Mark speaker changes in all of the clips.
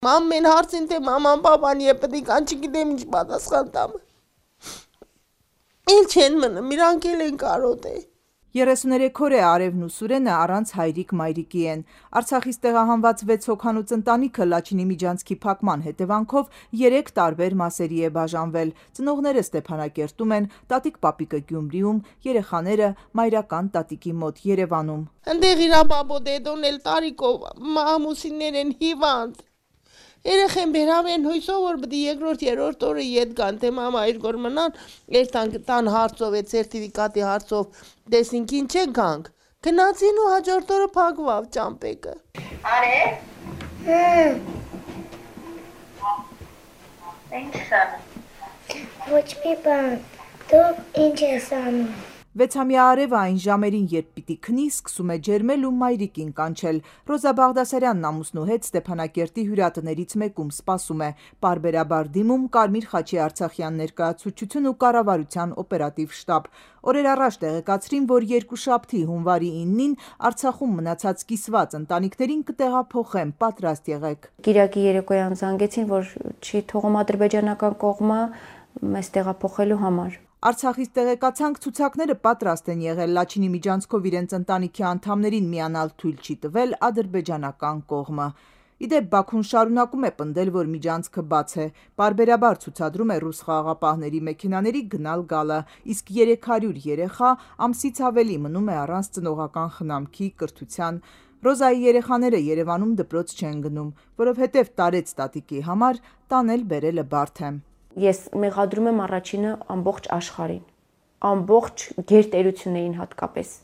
Speaker 1: Ամեն հարցին թե մաման, պապան եւ պետք է չգիտեմ ինչ պատասխան տամ։ Ինչ են մնում, իրանք էլ են կարոտ է։
Speaker 2: 33 օր է Արևն ու Սուրենը առանց հայրիկ-մայրիկի են։ Արցախից տեղահանված 6 հոգանոց ընտանիքը Լաչինի միջանցքի փակման հետևանքով 3 տարբեր մասերի է բաժանվել։ Ծնողները Ստեփանակերտում են, տատիկ-պապիկը Գյումրիում, երեխաները մայրական տատիկի մոտ Երևանում։
Speaker 1: Այնտեղ իր բաբո դեդոն էլ տարիքով ամուսիններ են հիվանդ։ Երեխեն բերավեն հույսով որ պետք է երկրորդ երրորդ օրը ետ գան թե մամա իր գոր մնան տան հարցով է սերտիֆիկատի հարցով տեսինք ինչ եկանք գնացին ու հաջորդ օրը փակվավ ճամպեկը
Speaker 3: Արե Ինչ անում
Speaker 4: Ոչ մի բան դու ինչ ես անում
Speaker 2: 6-ամյա Արևը այն ժամերին, երբ պիտի քնի, սկսում է ջերմել ու մայրիկին կանչել։ Ռոզա Բաղդասարյանն ամուսնու հետ Ստեփանակերտի հյուրատներից մեկում սպասում է։ Պարբերաբար դիմում Կարմիր խաչի Արցախյան ներկայացուցչություն ու կառավարության օպերատիվ շտաբ։ Օրեր առաջ տեղեկացրին, որ երկուշաբթի հունվարի 9-ին Արցախում մնացած կիսված ընտանիքներին կտեղափոխեն, պատրաստ եղեք։
Speaker 5: Կիրակի երեկոյան զանգեցին, որ չի թողում ադրբեջանական կողմը մեզ տեղափոխելու համար։
Speaker 2: Արցախից տեղեկացանք ցուցակները պատրաստ են եղել Լաչինի միջանցքով իրենց ընտանիքի անդամներին միանալ թույլ չի տվել ադրբեջանական կողմը։ Իդեպ Բաքուն շարունակում է պնդել, որ միջանցքը բաց է։ Պարբերաբար ցուցադրում է ռուս խաղաղապահների մեքենաների գնալ-գալը, իսկ 300 երեխա ամսից ավելի մնում է առանց ծնողական խնամքի, կրթության։ Ռոզայի երեխաները Երևանում դպրոց չեն գնում, որովհետև տարեց տատիկի համար տանել բերելը բարդ է։
Speaker 5: Ես մեղադրում եմ առաջինը ամբողջ աշխարհին, ամբողջ գերտերություններին հատկապես։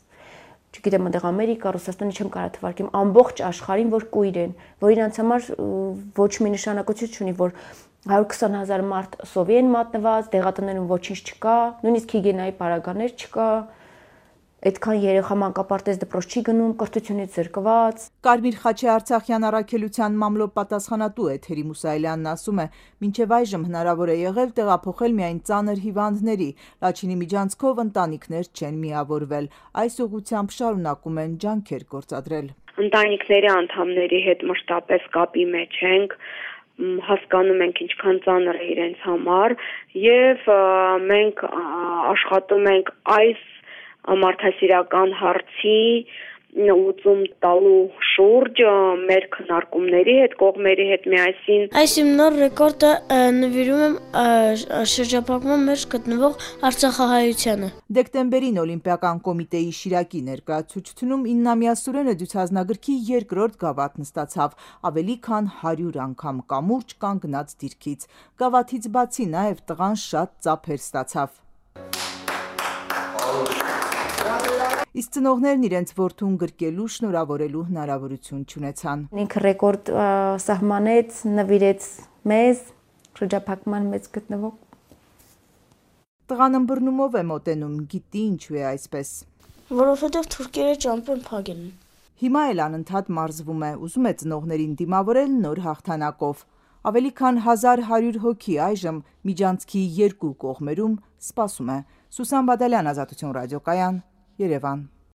Speaker 5: Չգիտեմ, այնտեղ Ամերիկա, Ռուսաստանը չեմ կարող թվարկեմ, ամբողջ աշխարհին, որ կույր են, որ իրանց համար ոչ մի նշանակություն չունի, որ 120,000 մարդ սովի են մատնված, դեղատներում ոչինչ չկա, նույնիսկ հիգիենայի պարագաներ չկա։ Այդքան երեխա մանկապարտեզ դպրոց չի գնում, կրթությունից զրկված։
Speaker 2: Կարմիր խաչի Արցախյան առաքելության մամլո պատասխանատու Էթերի Մուսայելյանն ասում է, մինչև այժմ հնարավոր է եղել տեղափոխել միայն ծանր հիվանդների, Լաչինի միջանցքով ընտանիքներ չեն միավորվել։ Այս ուղղությամբ շարունակում են ջանքեր գործադրել։
Speaker 6: Ընտանիքների անդամների հետ մշտապես կապի մեջ ենք, հասկանում ենք ինչքան ծանր է իրենց համար եւ մենք աշխատում ենք այս մարդասիրական հարցի լուծում տալու շուրջ մեր քննարկումների հետ, կողմերի հետ միասին։
Speaker 7: Այս իմ նոր ռեկորդը նվիրում եմ շրջափակման մեջ գտնվող արցախահայությանը։
Speaker 2: Դեկտեմբերին Օլիմպիական կոմիտեի Շիրակի ներկայացուցչությունում 9-ամյա Սուրենը դյուցազնագրքի երկրորդ գավաթն ստացավ, ավելի քան 100 անգամ կամուրջ կանգնած դիրքից։ Գավաթից բացի նաև տղան շատ ծափեր ստացավ։ Իսկ ծնողներն իրենց որդուն գրկելու, շնորհավորելու հնարավորություն չունեցան։
Speaker 5: Ինքը ռեկորդ սահմանեց, նվիրեց մեզ շրջափակման մեջ գտնվող։
Speaker 2: Տղան ըմբռնումով է մոտենում, գիտի ինչու է այսպես։
Speaker 7: Որովհետև թուրքերը ճամպեն փակեն։
Speaker 2: Հիմա էլ անընդհատ մարզվում է, ուզում է ծնողներին դիմավորել նոր հաղթանակով։ Ավելի քան 1100 հոգի այժմ միջանցքի երկու կողմերում սպասում է։ Սուսան Բադալյան, Ազատություն ռադիոկայան, Երևան։